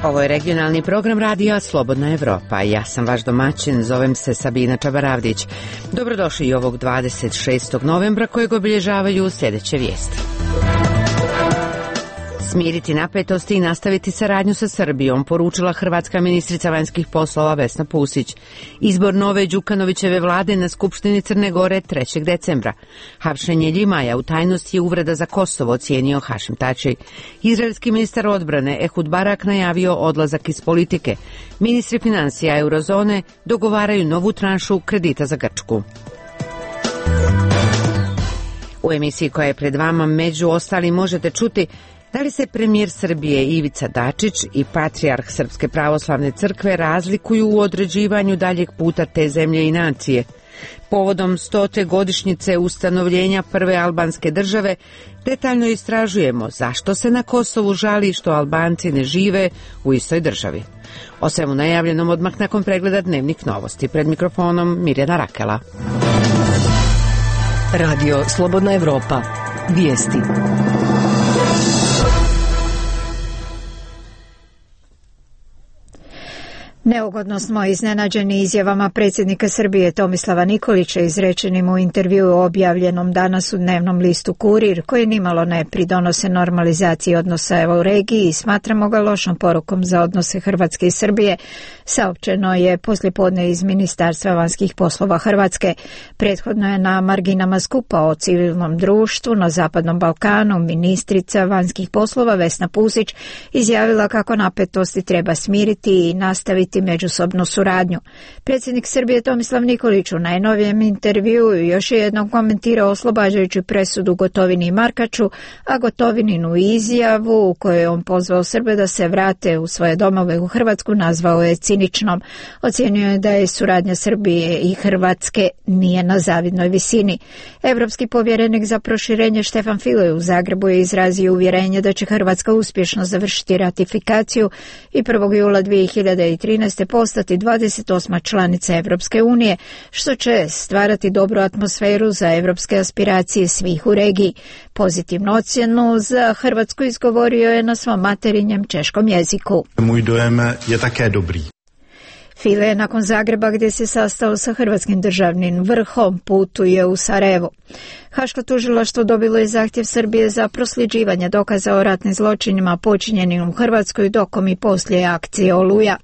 Ovo je regionalni program radija Slobodna Evropa. Ja sam vaš domaćin, zovem se Sabina Čabaravdić. Dobrodošli i ovog 26. novembra kojeg obilježavaju sljedeće vijesti. Smiriti napetosti i nastaviti saradnju sa Srbijom, poručila hrvatska ministrica vanjskih poslova Vesna Pusić. Izbor nove Đukanovićeve vlade na Skupštini Crne Gore 3. decembra. Hapšenje Ljimaja u tajnosti je uvreda za Kosovo, ocijenio Hašim Tači. Izraelski ministar odbrane Ehud Barak najavio odlazak iz politike. Ministri financija eurozone dogovaraju novu tranšu kredita za Grčku. U emisiji koja je pred vama među ostalim možete čuti da li se premijer Srbije Ivica Dačić i patrijarh Srpske pravoslavne crkve razlikuju u određivanju daljeg puta te zemlje i nacije. Povodom 100. godišnjice ustanovljenja prve albanske države detaljno istražujemo zašto se na Kosovu žali što Albanci ne žive u istoj državi. O svemu najavljenom odmah nakon pregleda dnevnih novosti. Pred mikrofonom Mirjana Rakela. Radio Slobodna Evropa. Vijesti. Neugodno smo iznenađeni izjavama predsjednika Srbije Tomislava Nikolića izrečenim u intervjuu objavljenom danas u dnevnom listu Kurir, koji nimalo ne pridonose normalizaciji odnosa u regiji i smatramo ga lošom porukom za odnose Hrvatske i Srbije, saopćeno je poslijepodne iz Ministarstva vanjskih poslova Hrvatske. Prethodno je na marginama skupa o civilnom društvu na Zapadnom Balkanu ministrica vanjskih poslova Vesna Pusić izjavila kako napetosti treba smiriti i nastaviti međusobnu suradnju. Predsjednik Srbije Tomislav Nikolić u najnovijem intervjuu još je jednom komentirao oslobađajuću presudu Gotovini i Markaču, a Gotovininu izjavu u kojoj je on pozvao Srbe da se vrate u svoje domove u Hrvatsku nazvao je ciničnom. Ocijenio je da je suradnja Srbije i Hrvatske nije na zavidnoj visini. Evropski povjerenik za proširenje Štefan File u Zagrebu je izrazio uvjerenje da će Hrvatska uspješno završiti ratifikaciju i 1. jula 2013. postati 28. članica Evropske unije, što će stvarati dobru atmosferu za evropske aspiracije svih u regiji. Pozitivnu ocjenu za Hrvatsku izgovorio je na svom materinjem češkom jeziku. Můj dojem je také dobrý. File je nakon Zagreba, gdje se sastao sa hrvatskim državnim vrhom, putuje u Sarajevo. Haško tužilaštvo dobilo je zahtjev Srbije za prosljeđivanje dokaza o ratnim zločinima počinjenim u Hrvatskoj dokom i poslije akcije Oluja.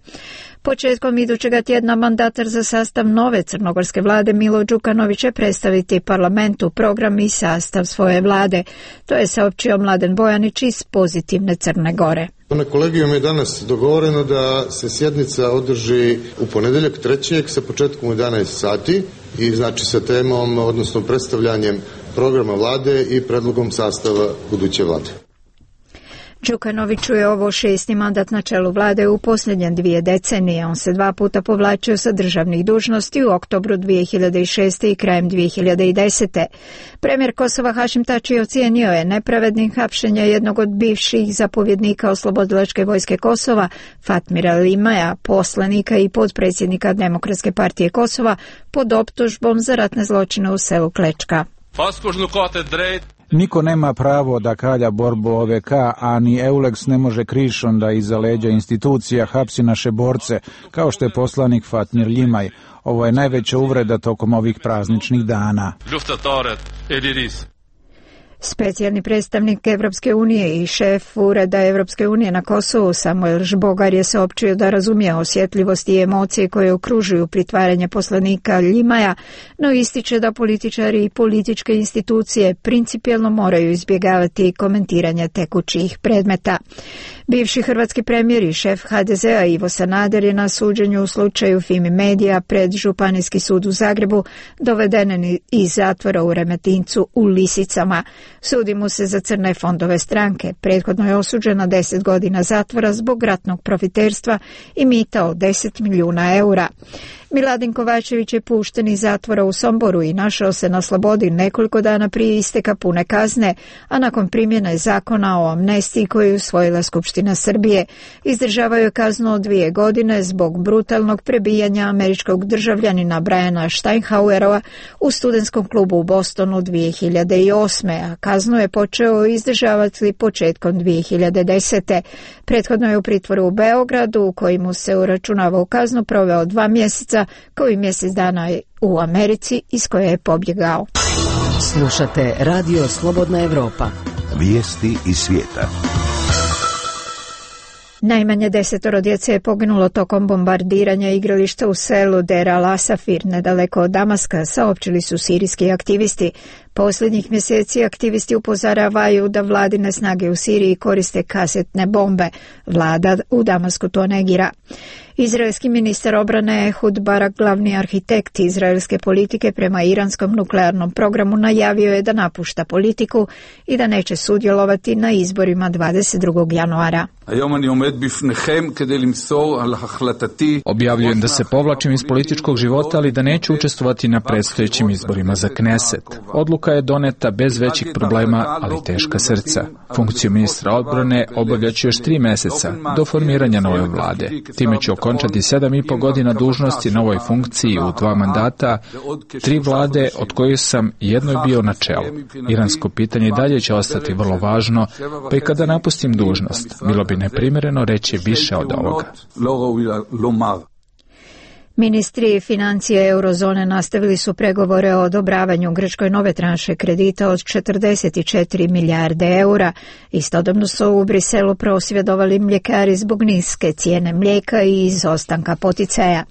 Početkom idućega tjedna mandatar za sastav nove crnogorske vlade Milo Đukanović će predstaviti parlamentu program i sastav svoje vlade. To je saopćio Mladen Bojanić iz Pozitivne Crne Gore. Na kolegijum je danas dogovoreno da se sjednica održi u ponedjeljak 3. sa početkom u 11 sati i znači sa temom, odnosno predstavljanjem programa vlade i predlogom sastava buduće vlade. Đukanoviću je ovo 6. mandat na čelu vlade u posljednje 2 decenije. On se 2 puta povlačio sa državnih dužnosti u oktobru 2006. i krajem 2010. Premijer Kosova Hašim Tači ocijenio je nepravednim hapšenje jednog od bivših zapovjednika Oslobodilačke vojske Kosova, Fatmira Ljimaja, poslanika i potpredsjednika Demokratske partije Kosova, pod optužbom za ratne zločine u selu Klečka. Niko nema pravo da kalja borbu OVK, a ni Eulex ne može krišom da iza leđa institucija hapsi naše borce, kao što je poslanik Fatmir Ljimaj. Ovo je najveća uvreda tokom ovih prazničnih dana. Specijalni predstavnik Evropske unije i šef Ureda Evropske unije na Kosovu Samuel Žbogar je saopćio da razumije osjetljivost i emocije koje okružuju pritvaranje poslanika Ljimaja, no ističe da političari i političke institucije principijelno moraju izbjegavati komentiranje tekućih predmeta. Bivši hrvatski premijer i šef HDZ-a Ivo Sanader je na suđenju u slučaju Fimi Medija pred Županijski sud u Zagrebu doveden iz zatvora u Remetincu u Lisicama. Sudi mu se za crne fondove stranke. Prethodno je osuđen na 10 godina zatvora zbog ratnog profiterstva i mita od 10 milijuna eura. Miladin Kovačević je pušten iz zatvora u Somboru i našao se na slobodi nekoliko dana prije isteka pune kazne, a nakon primjene zakona o amnestiji koju je usvojila Skupština Srbije. Izdržavao je kaznu od 2 godine zbog brutalnog prebijanja američkog državljanina Briana Steinhauerova u studentskom klubu u Bostonu 2008. a kaznu je počeo izdržavati početkom 2010. Prethodno je u pritvoru u Beogradu, u kojemu se uračunavao kaznu, proveo 2 mjeseca, kao i mjesec dana u Americi, iz koje je pobjegao. Slušate Radio Slobodna Evropa. Vijesti iz svijeta. Najmanje 10 djece je poginulo tokom bombardiranja igrališta u selu Der Al-Asafir, nedaleko od Damaska, saopćili su sirijski aktivisti. Posljednjih mjeseci aktivisti upozoravaju da vladine snage u Siriji koriste kasetne bombe. Vlada u Damasku to negira. Izraelski ministar obrane Ehud Barak, glavni arhitekt izraelske politike prema iranskom nuklearnom programu, najavio je da napušta politiku i da neće sudjelovati na izborima 22. januara. Objavljujem da se povlačim iz političkog života, ali da neću učestvovati na predstojećim izborima za Kneset. Odluka je doneta bez većih problema, ali teška srca. Funkciju ministra odbrane obavljaću još 3 mjeseca do formiranja nove vlade. Time ću okončati 7,5 godina dužnosti na ovoj funkciji u 2 mandata, 3 vlade od kojih sam jednoj bio na čelu. Iransko pitanje i dalje će ostati vrlo važno, pa i kada napustim dužnost, bilo bi neprimjereno reći više od ovoga. Ministri financije eurozone nastavili su pregovore o odobravanju Grčkoj nove tranše kredita od 44 milijarde eura. Istodobno su u Briselu prosvjedovali mljekari zbog niske cijene mlijeka i izostanka poticaja.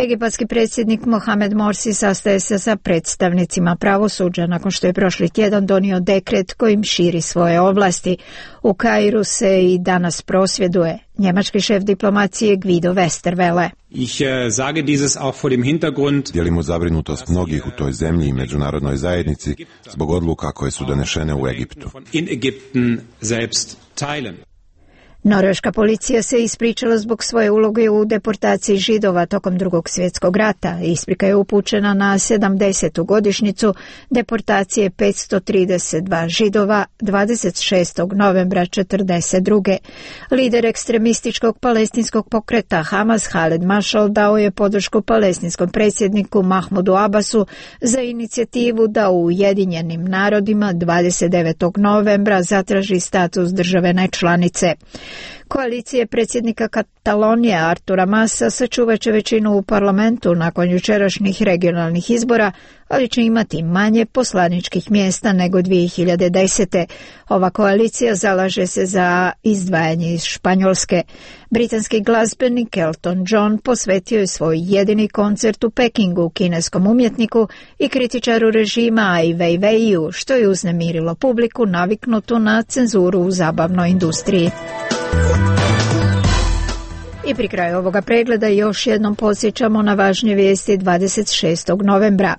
Egipatski predsjednik Mohamed Morsi sastaje se sa predstavnicima pravosuđa nakon što je prošli tjedan donio dekret kojim širi svoje ovlasti. U Kairu se i danas prosvjeduje. Njemački šef diplomacije Guido Westerwelle. Dijelimo zabrinutost mnogih u toj zemlji i međunarodnoj zajednici zbog odluka koje su donešene u Egiptu. Norveška policija se ispričala zbog svoje uloge u deportaciji Židova tokom Drugog svjetskog rata. Isprika je upućena na 70. godišnjicu deportacije 532 Židova 26. novembra 1942. Lider ekstremističkog palestinskog pokreta Hamas Khaled Mashal dao je podršku palestinskom predsjedniku Mahmudu Abbasu za inicijativu da u Ujedinjenim narodima 29. novembra zatraži status države nečlanice. Koalicije predsjednika Katalonije Artura Masa sačuvat će većinu u parlamentu nakon jučerašnjih regionalnih izbora, ali će imati manje poslaničkih mjesta nego 2010. Ova koalicija zalaže se za izdvajanje iz Španjolske. Britanski glazbenik Elton John posvetio je svoj jedini koncert u Pekingu kineskom umjetniku i kritičaru režima Ai Weiwei, što je uznemirilo publiku naviknutu na cenzuru u zabavnoj industriji. I pri kraju ovoga pregleda još jednom podsjećamo na važnije vijesti 26. novembra.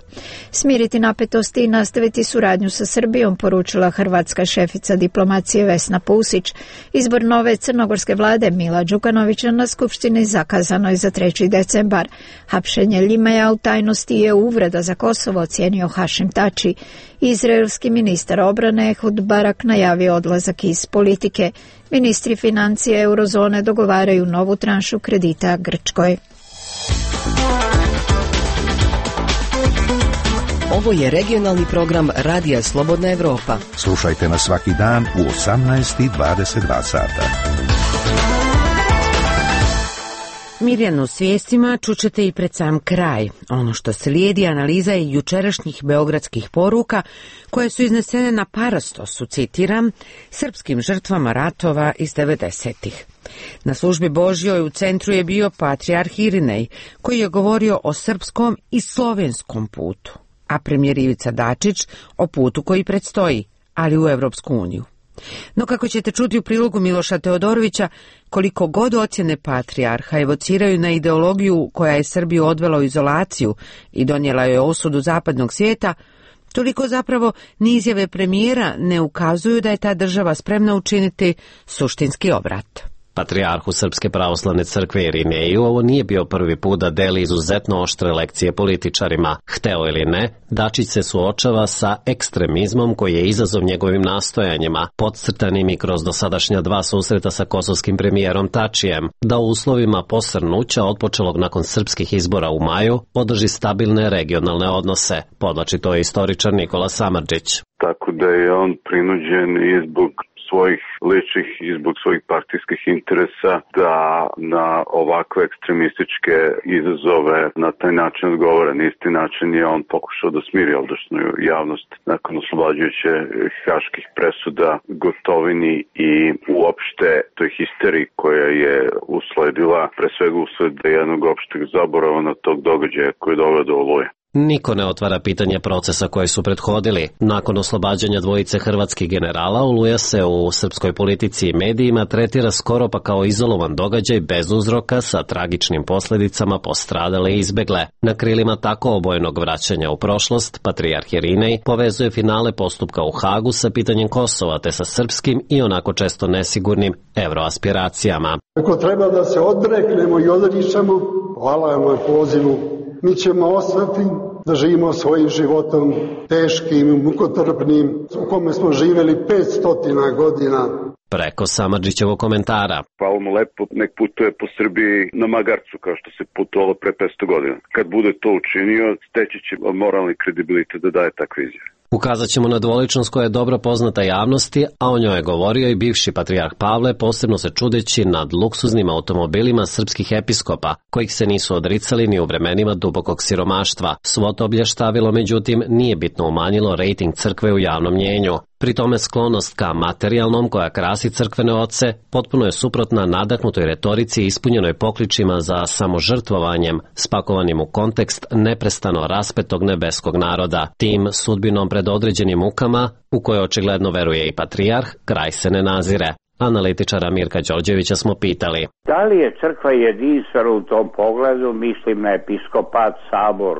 Smiriti napetosti i nastaviti suradnju sa Srbijom, poručila hrvatska šefica diplomacije Vesna Pusić. Izbor nove crnogorske vlade Mila Đukanovića na skupštini zakazano je za 3. decembar. Hapšenje Ljimaja u tajnosti je uvreda za Kosovo, ocijenio Hašim Tači. Izraelski ministar obrane Ehud Barak najavio odlazak iz politike. Ministri financije eurozone dogovaraju novu tranšu kredita Grčkoj. Ovo je regionalni program Radija Slobodna Evropa. Slušajte nas svaki dan u 18:22 sata. Mirjanu s vijestima čućete i pred sam kraj. Ono što slijedi analiza je jučerašnjih beogradskih poruka koje su iznesene na parastosu, citiram, srpskim žrtvama ratova iz 90-ih. Na službi Božjoj u centru je bio patrijarh Irinej, koji je govorio o srpskom i slovenskom putu, a premijer Ivica Dačić o putu koji predstoji, ali u Evropsku uniju. No kako ćete čuti u prilogu Miloša Teodorovića, koliko god ocjene patrijarha evociraju na ideologiju koja je Srbiju odvela u izolaciju i donijela joj osudu zapadnog svijeta, toliko zapravo ni izjave premijera ne ukazuju da je ta država spremna učiniti suštinski obrat. Patrijarhu Srpske pravoslavne crkve Irineju ovo nije bio prvi put da deli izuzetno oštre lekcije političarima. Hteo ili ne, Dačić se suočava sa ekstremizmom koji je izazov njegovim nastojanjima, podcrtanim i kroz dosadašnja 2 susreta sa kosovskim premijerom Tačijem, da u uslovima posrnuća otpočelog nakon srpskih izbora u maju održi stabilne regionalne odnose, podvlači to je istoričar Nikola Samardžić. Tako da je on prinuđen i zbog svojih ličnih i zbog svojih partijskih interesa da na ovakve ekstremističke izazove na taj način odgovara. Na isti način je on pokušao da smiri ovdašnju javnost nakon oslobađajuće haških presuda Gotovini i uopšte toj histeriji koja je usledila, pre svega usled jednog opšteg zaborava na tog događaja koji je doveo do Oluje. Niko ne otvara pitanje procesa koji su prethodili. Nakon oslobađanja dvojice hrvatskih generala, Oluja se u srpskoj politici i medijima tretira skoro pa kao izolovan događaj bez uzroka sa tragičnim posljedicama po stradale i izbegle. Na krilima tako obojenog vraćanja u prošlost, patrijarh Irinej povezuje finale postupka u Hagu sa pitanjem Kosova te sa srpskim i onako često nesigurnim evroaspiracijama. Ako treba da se odreknemo i odričemo, hvala vam na pozivu. Mi ćemo ostati da živimo svojim životom teškim, mukotrpnim, u kome smo živjeli 500 godina. Preko Samardžićevog komentara. Hvala mu lepo, nek putuje po Srbiji na magarcu kao što se putovalo pre 500 godina. Kad bude to učinio, steći će moralni kredibilitet da daje takve izjave. Ukazat ćemo na dvoličnost koja je dobro poznata javnosti, a o njoj je govorio i bivši patrijarh Pavle, posebno se čudeći nad luksuznim automobilima srpskih episkopa, kojih se nisu odricali ni u vremenima dubokog siromaštva. Svo to blještavilo, međutim, nije bitno umanjilo rejting crkve u javnom mnjenju. Pri tome sklonost ka materijalnom koja krasi crkvene oce potpuno je suprotna nadahnutoj retorici ispunjenoj pokličima za samožrtvovanjem, spakovanim u kontekst neprestano raspetog nebeskog naroda. Tim sudbinom pred određenim mukama, u koje očigledno veruje i patrijarh, kraj se ne nazire. Analitičara Mirka Đorđevića smo pitali. Da li je crkva jedinstvena u tom pogledu, mislim na episkopat, sabor,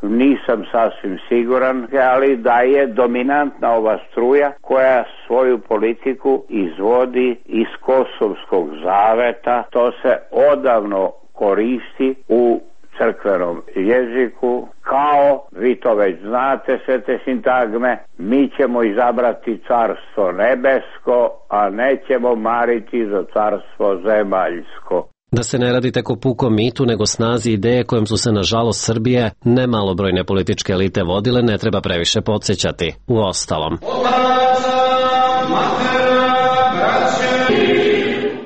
nisam sasvim siguran, ali da je dominantna ova struja koja svoju politiku izvodi iz Kosovskog zaveta. To se odavno koristi u crkvenom jeziku, kao, vi to već znate sve te sintagme, mi ćemo izabrati carstvo nebesko, a nećemo mariti za carstvo zemaljsko. Da se ne radi tek o pukom mitu, nego snazi ideje kojom su se, nažalost, Srbije nemalobrojne političke elite vodile, ne treba previše podsjećati. Uostalom.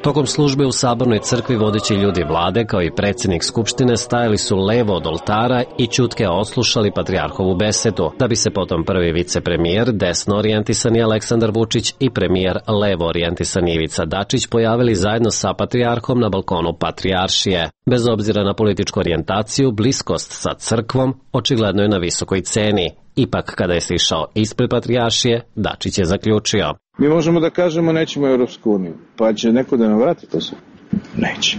Tokom službe u Sabornoj crkvi vodeći ljudi vlade, kao i predsjednik Skupštine, stajali su levo od oltara i ćutke odslušali patrijarhovu besedu, da bi se potom prvi vicepremijer, desno orijentisani Aleksandar Vučić i premijer levo orijentisani Ivica Dačić pojavili zajedno sa patrijarhom na balkonu patrijaršije. Bez obzira na političku orijentaciju, bliskost sa crkvom očigledno je na visokoj ceni. Ipak, kada je sišao ispred patrijaršije, Dačić je zaključio. Mi možemo da kažemo nećemo u Europsku uniju, pa će neko da nam vrati to sve? Neće.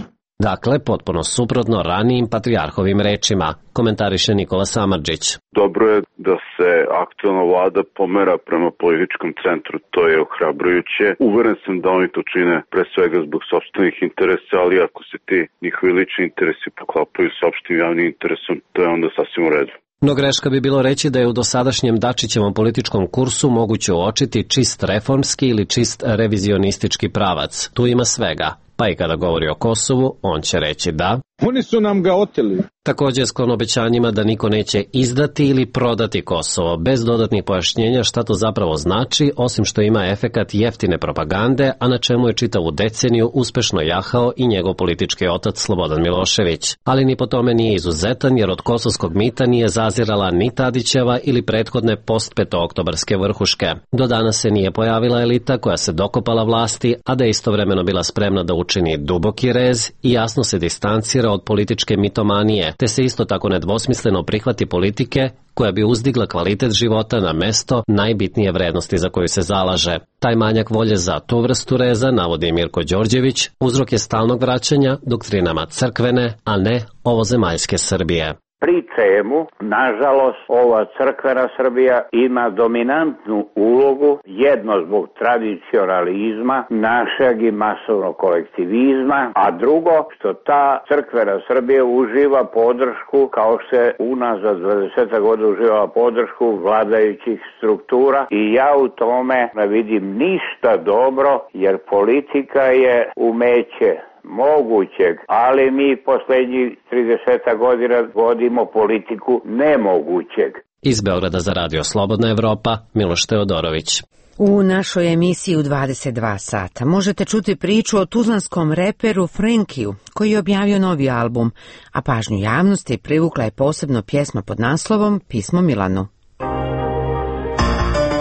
Dakle, potpuno suprotno ranijim patrijarhovim rečima, komentariše Nikola Samardžić. Dobro je da se aktualna vlada pomera prema političkom centru, to je ohrabrujuće. Uveren sam da oni to čine pre svega zbog sopstvenih interesa, ali ako se ti njihovi lični interesi poklapaju s opštim javnim interesom, to je onda sasvim u redu. No greška bi bilo reći da je u dosadašnjem Dačićevom političkom kursu moguće uočiti čist reformski ili čist revizionistički pravac. Tu ima svega, pa i kada govori o Kosovu, on će reći da oni su nam ga oteli. Također sklon obećanjima da niko neće izdati ili prodati Kosovo, bez dodatnih pojašnjenja šta to zapravo znači, osim što ima efekat jeftine propagande, a na čemu je čitavu deceniju uspešno jahao i njegov politički otac Slobodan Milošević. Ali ni po tome nije izuzetan, jer od kosovskog mita nije zazirala ni Tadićeva ili prethodne post-petooktobarske vrhuške. Do danas se nije pojavila elita koja se dokopala vlasti, a da je istovremeno bila spremna da učini duboki rez i jasno se distancira od političke mitomanije, te se isto tako nedvosmisleno prihvati politike koja bi uzdigla kvalitet života na mesto najbitnije vrednosti za koju se zalaže. Taj manjak volje za tu vrstu reza, navodi Mirko Đorđević, uzrok je stalnog vraćanja doktrinama crkvene, a ne ovozemaljske Srbije. pri čemu, nažalost, ova crkvena Srbija ima dominantnu ulogu, jedno zbog tradicionalizma, našeg i masovnog kolektivizma, a drugo što ta crkvena Srbija uživa podršku, kao što je unazad 20 godina uživala podršku vladajućih struktura i ja u tome ne vidim ništa dobro, jer politika je umeće mogućeg, ali mi poslednjih 30 godina vodimo politiku nemogućeg. Iz Beograda za Radio Slobodna Evropa, Miloš Teodorović. U našoj emisiji u 22 sata možete čuti priču o tuzlanskom reperu Frankiju, koji je objavio novi album, a pažnju javnosti privukla je posebno pjesma pod naslovom Pismo Milanu.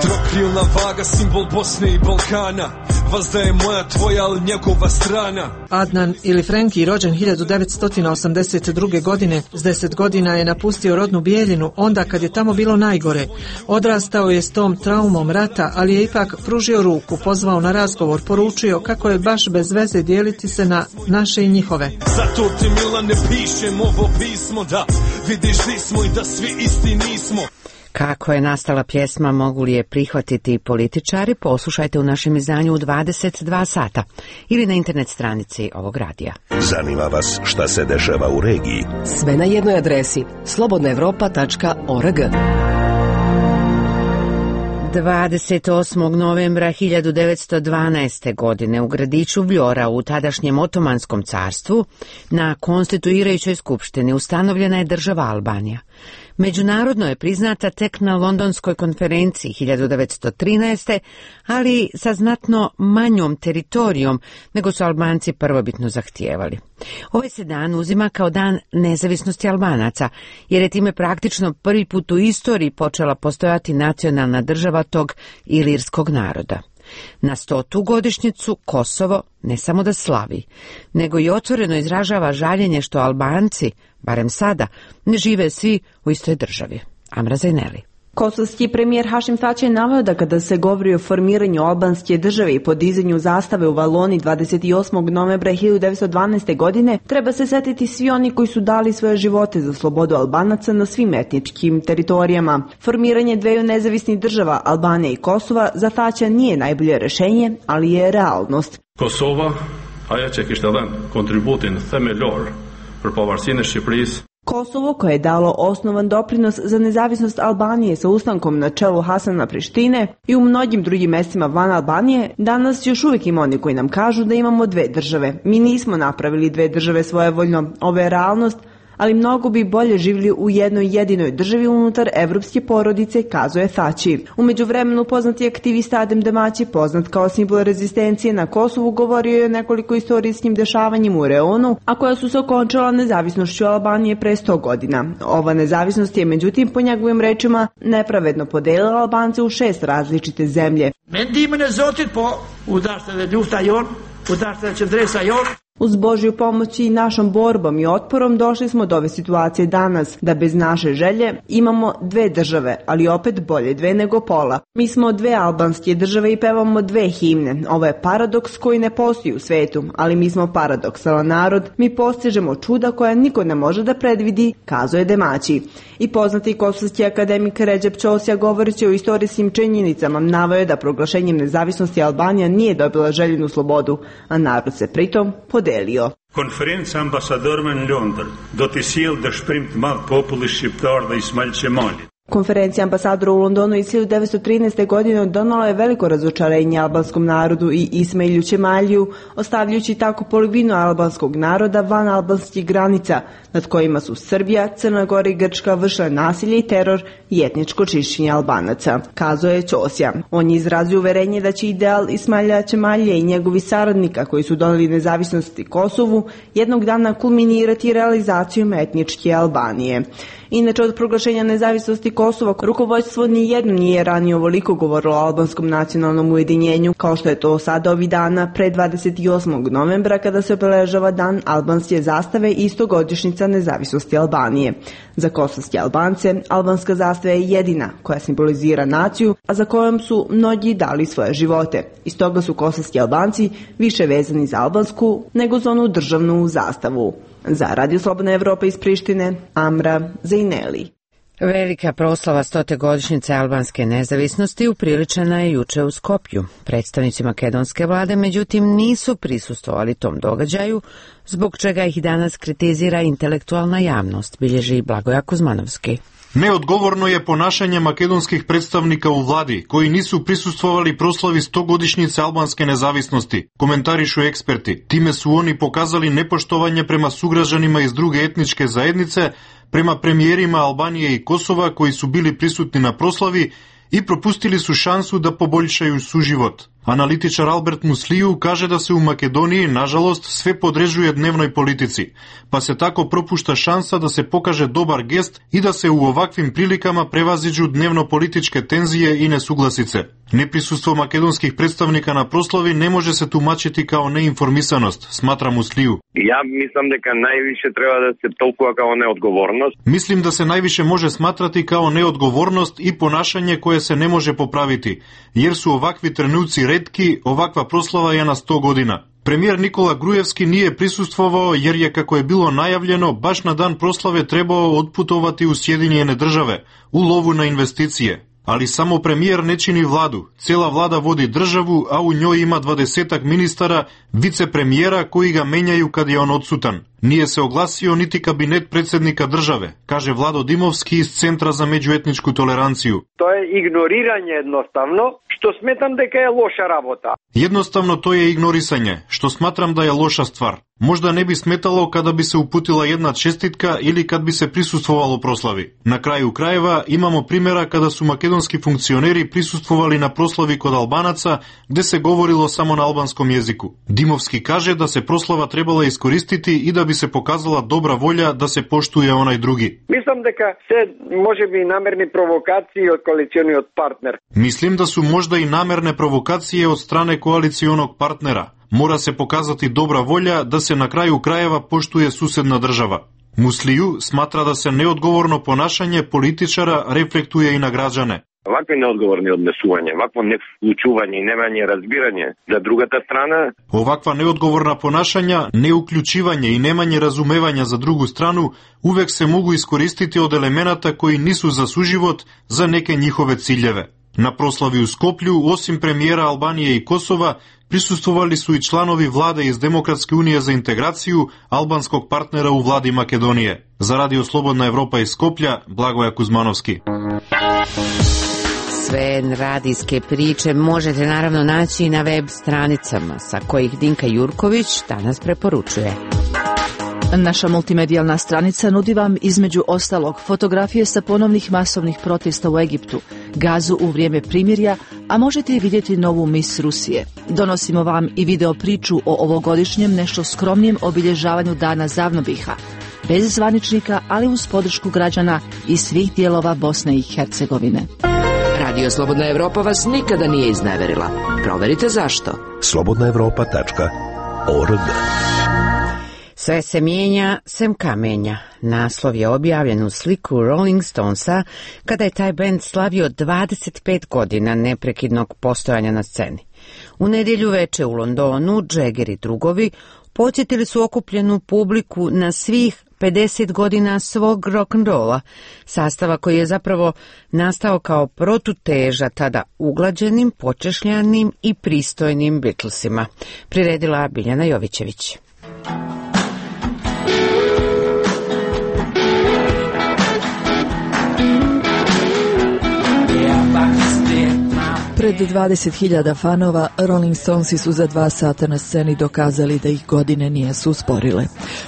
Trokrilna vaga, simbol Bosne i Balkana, vazda je moja tvoja, ali njegova strana. Adnan ili Frenki, rođen 1982. godine, s 10 godina je napustio rodnu Bijeljinu onda kad je tamo bilo najgore. Odrastao je s tom traumom rata, ali je ipak pružio ruku, pozvao na razgovor, poručio kako je baš bez veze dijeliti se na naše i njihove. Zato ti Milane pišem ovo pismo, da vidiš di smo i da svi isti nismo. Kako je nastala pjesma, mogu li je prihvatiti političari, poslušajte u našem izdanju u 22 sata ili na internet stranici ovog radija. Zanima vas šta se dešava u regiji? Sve na jednoj adresi slobodnaevropa.org. 28. novembra 1912. godine u gradiću Vljora u tadašnjem Otomanskom carstvu na konstituirajućoj skupštini ustanovljena je država Albanija. Međunarodno je priznata tek na Londonskoj konferenciji 1913. ali sa znatno manjom teritorijom nego su Albanci prvobitno zahtijevali. Ovaj se dan uzima kao dan nezavisnosti Albanaca, jer je time praktično prvi put u istoriji počela postojati nacionalna država tog ilirskog naroda. Na 100. godišnjicu Kosovo ne samo da slavi, nego i otvoreno izražava žaljenje što Albanci, barem sada, ne žive svi u istoj državi. Amra Zajneli. Kosovski premijer Hašim Tači je naveo da kada se govori o formiranju albanske države i podizanju zastave u Valoni 28. novembra 1912. godine, treba se setiti svi oni koji su dali svoje živote za slobodu Albanaca na svim etničkim teritorijama. Formiranje dveju nezavisnih država, Albanije i Kosova, za Tača nije najbolje rešenje, ali je realnost. Kosova, ajo që kishte dhënë kontributin themelor për pavarësinë e Shqipërisë. Kosovo, koje je dalo osnovan doprinos za nezavisnost Albanije sa ustankom na čelu Hasana Prištine i u mnogim drugim mestima van Albanije, danas još uvijek ima oni koji nam kažu da imamo dve države. Mi nismo napravili dve države svojevoljno, ovo je realnost, ali mnogo bi bolje živjeli u jednoj jedinoj državi unutar evropske porodice, kazuje Tači. U međuvremenu poznati aktivista Adem Demaći, poznat kao simbol rezistencije na Kosovu, govorio je o nekoliko istorijskim dešavanjima u reonu, a koja su se okončala nezavisnošću Albanije pre 100 godina. Ova nezavisnost je, međutim, po njegovim rečima, nepravedno podelila Albance u 6 različite zemlje. Mendimin e Zotit, po, u dashte dhe ljufta jon, u dashte dhe qëndresa jon. Uz Božju pomoć i našom borbom i otporom došli smo do ove situacije danas, da bez naše želje imamo dve države, ali opet bolje dve nego pola. Mi smo dve albanske države i pevamo dve himne. Ovo je paradoks koji ne postoji u svetu, ali mi smo paradoksalan narod, mi postižemo čuda koja niko ne može da predvidi, kazuje Demaći. I poznati kosovski akademik Recep Ćosija, govoreći o istorijskim činjenicama, naveo je da proglašenjem nezavisnosti Albanija nije dobila željenu slobodu, a narod se pritom podelio. Konferenca ambasadorëve në Londër do t'i sjellë dëshpërim të madh popullit shqiptar dhe Ismail Qemali. Konferencija ambasadora u Londonu iz 1913. godine donala je veliko razočarenje albanskom narodu i Ismailu Qemaliju, ostavljajući tako polovinu albanskog naroda van albanskih granica, nad kojima su Srbija, Crna Gora i Grčka vršile nasilje i teror i etničko čišćenje Albanaca, kazuje Ćosija. On je izrazio uverenje da će ideal Ismaila Qemalija i njegovi saradnika koji su doneli nezavisnosti Kosovu jednog dana kulminirati realizacijom etničke Albanije. Inače, od proglašenja nezavisnosti Kosova, rukovodstvo nijedno nije ranije ovoliko govorilo o albanskom nacionalnom ujedinjenju, kao što je to sada ovih dana pre 28. novembra kada se obeležava dan albanske zastave i 100-godišnjica nezavisnosti Albanije. Za kosovske Albance, albanska zastava je jedina koja simbolizira naciju, a za kojom su mnogi dali svoje živote. I stoga su kosovski Albanci više vezani za albansku nego za onu državnu zastavu. Za Radio Slobodna Evropa iz Prištine, Amra Zejneli. Velika proslava 100. godišnjice albanske nezavisnosti upriličena je juče u Skopju. Predstavnici makedonske vlade, međutim, nisu prisustvovali tom događaju, zbog čega ih danas kritizira intelektualna javnost, bilježi Blagoja Kuzmanovski. Neodgovorno je ponašanje makedonskih predstavnika u vladi, koji nisu prisustvovali proslavi 100-godišnjice albanske nezavisnosti, komentarišu eksperti. Time su oni pokazali nepoštovanje prema sugrađanima iz druge etničke zajednice, prema premijerima Albanije i Kosova koji su bili prisutni na proslavi i propustili su šansu da poboljšaju suživot. Analitičar Albert Musliju kaže da se u Makedoniji, nažalost, sve podređuje dnevnoj politici, pa se tako propušta šansa da se pokaže dobar gest i da se u ovakvim prilikama prevaziđu dnevno-političke tenzije i nesuglasice. Neprisustvo makedonskih predstavnika na proslavi ne može se tumačiti kao neinformisanost, smatra Musliju. Ja mislim da najviše treba da se tolkува kao neodgovornost. Mislim da se najviše može smatrati kao neodgovornost i ponašanje koje se ne može popraviti, jer su ovakvi trenuci retki, ovakva proslava je na 100 godina. Premijer Nikola Grujevski nije prisustvovao jer je, kako je bilo najavljeno, baš na dan proslave trebao otputovati u Sjedinjene Države, u lovu na investicije. Ali samo premijer ne čini vladu. Cijela vlada vodi državu, a u njoj ima 20 ministara, vicepremijera koji ga menjaju kad je on odsutan. Nije se oglasio niti kabinet predsjednika države, kaže Vlado Dimovski iz Centra za međuetničku toleranciju. To je ignoriranje jednostavno, što smetam da je loša rabota. Jednostavno to je ignorisanje, što smatram da je loša stvar. Možda ne bi smetalo kada bi se uputila jedna čestitka ili kad bi se prisustvovalo proslavi. Na kraju krajeva imamo primjera kada su makedonski funkcioneri prisustvovali na proslavi kod Albanaca gdje se govorilo samo na albanskom jeziku. Dimovski kaže da se proslava trebala iskoristiti i da bi se pokazala dobra volja da se poštuje onaj drugi. Mislim da se može bi namerni provokacije od koalicijonog partnera. Mislim da su možda i namerne provokacije od strane koalicijonog partnera. Mora se pokazati dobra volja da se na kraju krajeva poštuje susedna država. Musliju smatra da se neodgovorno ponašanje političara reflektuje i na građane. Ovakve neodgovorne odnesuvanje, ovakvo neuključuvanje i nemanje razbiranje za drugata strana. Ovakva neodgovorna ponašanja, neuključivanje i nemanje razumevanja za drugu stranu uvek se mogu iskoristiti od elemenata koji nisu za suživot za neke njihove ciljeve. Na proslavi u Skoplju, osim premijera Albanije i Kosova, prisustvovali su i članovi vlade iz Demokratske unije za integraciju, albanskog partnera u vladi Makedonije. Za Radio Slobodna Evropa iz Skoplja, Blagoja Kuzmanovski. Sve radijske priče možete naravno naći i na web stranicama, sa kojih Dinka Jurković danas preporučuje. Naša multimedijalna stranica nudi vam između ostalog fotografije sa ponovnih masovnih protesta u Egiptu, Gazu u vrijeme primirja, a možete i vidjeti novu mis Rusije. Donosimo vam i video priču o ovogodišnjem nešto skromnijem obilježavanju dana Zavnobiha, bez zvaničnika, ali uz podršku građana iz svih dijelova Bosne i Hercegovine. Radio Slobodna Evropa vas nikada nije izneverila. Proverite zašto. slobodnaevropa.org. Sve se mijenja, sem kamenja. Naslov je objavljen u sliku Rolling Stonesa kada je taj bend slavio 25 godina neprekidnog postojanja na sceni. U nedjelju veče u Londonu Jagger i drugovi podsjetili su okupljenu publiku na svih 50 godina svog rock'n'rolla, sastava koji je zapravo nastao kao protuteža tada uglađenim, počešljanim i pristojnim Beatlesima. Priredila Biljana Jovićević. Pred 20.000 fanova Rolling Stonesi su za 2 sata na sceni dokazali da ih godine nijesu usporile.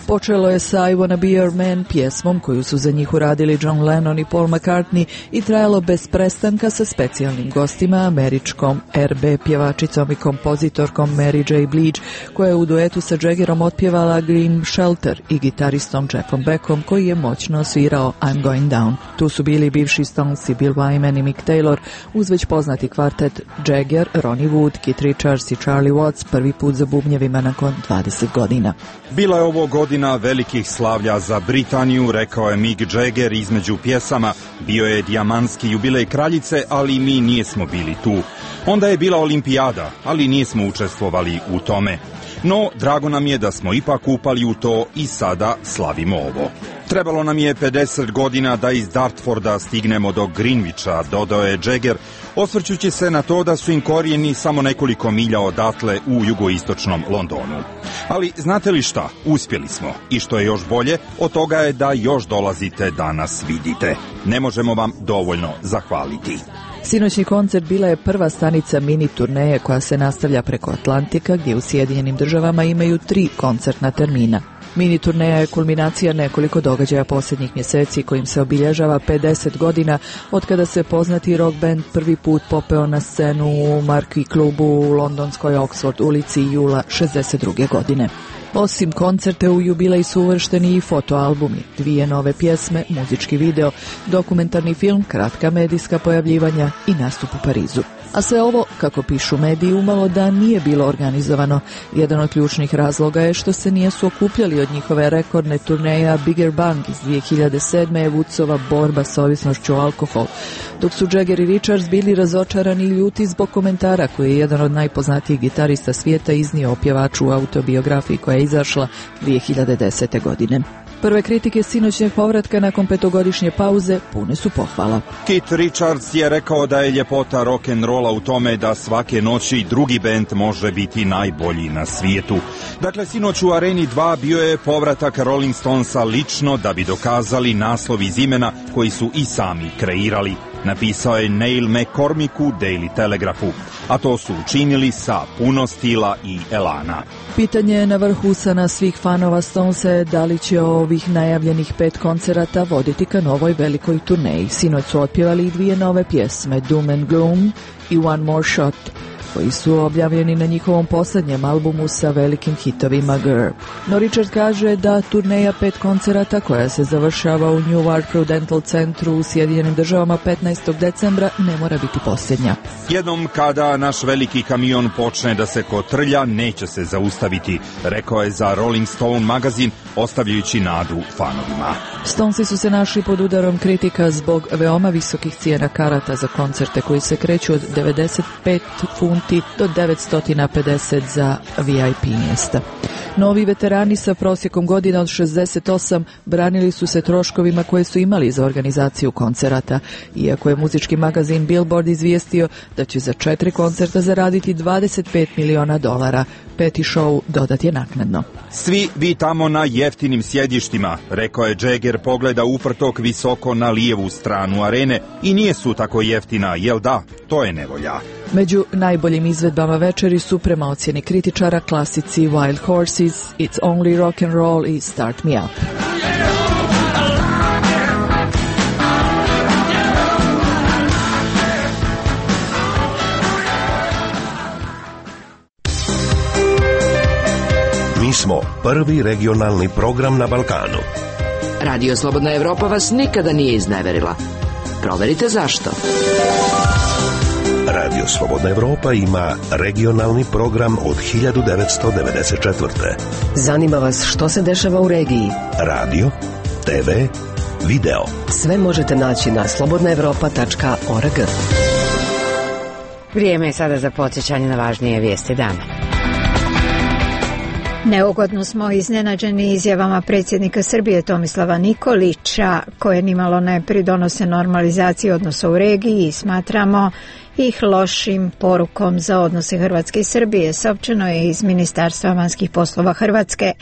Počelo je sa I Wanna Be Your Man, pjesmom koju su za njih uradili John Lennon i Paul McCartney, i trajalo bez prestanka sa specijalnim gostima, američkom R&B pjevačicom i kompozitorkom Mary J. Blige, koja je u duetu sa Jaggerom otpjevala Green Shelter, i gitaristom Jeffom Beckom, koji je moćno svirao I'm Going Down. Tu su bili bivši Stonesi Bill Wyman i Mick Taylor, uz već poznati kvartet Jagger, Ronnie Wood, Keith Richards i Charlie Watts, prvi put za bubnjevima nakon 20 godina. Bila je ovo godina velikih slavlja za Britaniju, rekao je Mick Jagger između pjesama. Bio je dijamantski jubilej kraljice, ali mi nismo bili tu. Onda je bila olimpijada, ali nismo učestvovali u tome. No, drago nam je da smo ipak upali u to i sada slavimo ovo. Trebalo nam je 50 godina da iz Dartforda stignemo do Greenwicha, dodao je Jagger, osvrćući se na to da su im korijeni samo nekoliko milja odatle u jugoistočnom Londonu. Ali znate li šta? Uspjeli smo. I što je još bolje, od toga je da još dolazite da nas vidite. Ne možemo vam dovoljno zahvaliti. Sinoćni koncert bila je prva stanica mini turneje koja se nastavlja preko Atlantika, gdje u Sjedinjenim Državama imaju 3 koncertna termina. Mini turneja je kulminacija nekoliko događaja posljednjih mjeseci kojim se obilježava 50 godina od kada se poznati rock band prvi put popeo na scenu u Marquee klubu u londonskoj Oxford ulici jula 62. godine. Osim koncerte u jubilej su uvršteni i fotoalbumi, 2 nove pjesme, muzički video, dokumentarni film, kratka medijska pojavljivanja i nastup u Parizu. A sve ovo, kako pišu mediji, umalo da nije bilo organizovano. Jedan od ključnih razloga je što se nisu okupljali od njihove rekordne turneje Bigger Bang iz 2007. je Woodsova borba s ovisnošću alkohol, dok su Jagger i Richards bili razočarani i ljuti zbog komentara koji je jedan od najpoznatijih gitarista svijeta iznio o pjevaču u autobiografiji koja je izašla 2010. godine. Prve kritike sinoćnjeg povratka nakon 5-godišnje pauze pune su pohvala. Keith Richards je rekao da je ljepota rock'n'rolla u tome da svake noći drugi bend može biti najbolji na svijetu. Dakle, sinoć u Areni 2 bio je povratak Rolling Stonesa lično da bi dokazali naslov iz imena koji su i sami kreirali. Napisao je Neil McCormick u Daily Telegraphu, a to su učinili sa puno stila i elana. Pitanje je na vrhu usana svih fanova Stonesa je da li će ovih najavljenih 5 koncerata voditi ka novoj velikoj turneji. Sinoć su otpjevali i 2 nove pjesme, Doom and Gloom i One More Shot, koji su objavljeni na njihovom posljednjem albumu sa velikim hitovima Girl. No Richard kaže da turneja 5 koncerata koja se završava u Newark Prudential centru u Sjedinjenim Državama 15. decembra ne mora biti posljednja. Jednom kada naš veliki kamion počne da se kotrlja, neće se zaustaviti, rekao je za Rolling Stone magazin, ostavljajući nadu fanovima. Stonesi su se našli pod udarom kritika zbog veoma visokih cijena karata za koncerte koji se kreću od 95 funti do 950 za VIP mjesta. Novi veterani sa prosjekom godina od 68 branili su se troškovima koje su imali za organizaciju koncerata, iako je muzički magazin Billboard izvijestio da će za 4 koncerta zaraditi $25 miliona. 5. show dodat je naknadno. Svi vi tamo na jeftinim sjedištima, rekao je Jagger, pogleda uprtok visoko na lijevu stranu arene i nije su tako jeftina, jel da? To je nevolja. Među najboljim izvedbama večeri su prema ocjeni kritičara klasici Wild Horses, It's Only Rock and Roll i Start Me Up. Mi smo prvi regionalni program na Balkanu. Radio Slobodna Evropa vas nikada nije izneverila. Proverite zašto. Radio Slobodna Evropa ima regionalni program od 1994. Zanima vas što se dešava u regiji? Radio, TV, video. Sve možete naći na slobodnaevropa.org. Vrijeme je sada za podsjećanje na važnije vijesti dana. Neugodno smo iznenađeni izjavama predsjednika Srbije Tomislava Nikolića, koje nimalo ne pridonose normalizaciji odnosa u regiji i smatramo ih lošim porukom za odnose Hrvatske i Srbije, saopćeno je iz Ministarstva vanjskih poslova Hrvatske.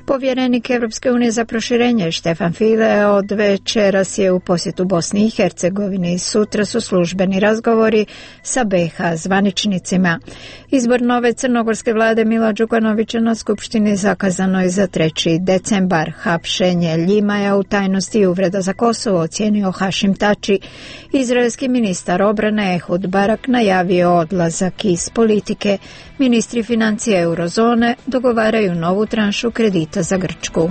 Povjerenik Europske unije za proširenje Štefan File od večeras je u posjetu Bosni i Hercegovini i sutra su službeni razgovori sa BiH zvaničnicima. Izbor nove crnogorske vlade Mila Đukanovića na skupštini zakazano je za 3. decembar. Hapšenje Ljimaja u tajnosti i uvreda za Kosovo ocijenio Hašim Tači. Izraelski ministar obrane Ehud Barak najavio odlazak iz politike. Ministri financija eurozone dogovaraju novu tranšu kredita za Grčku.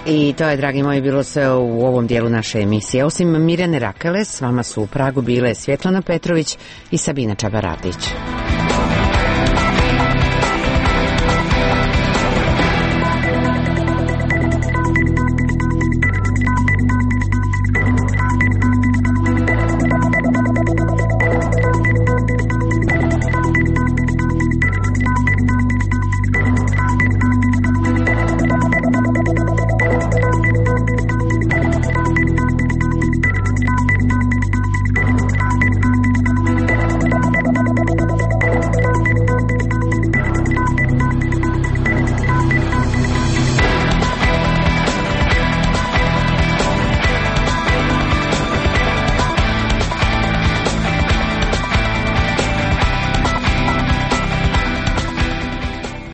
I to je, dragi moji, bilo sve u ovom dijelu naše emisije. Osim Mirjane Rakele, s vama su u Pragu bile Svjetlana Petrović i Sabina Čabaradić.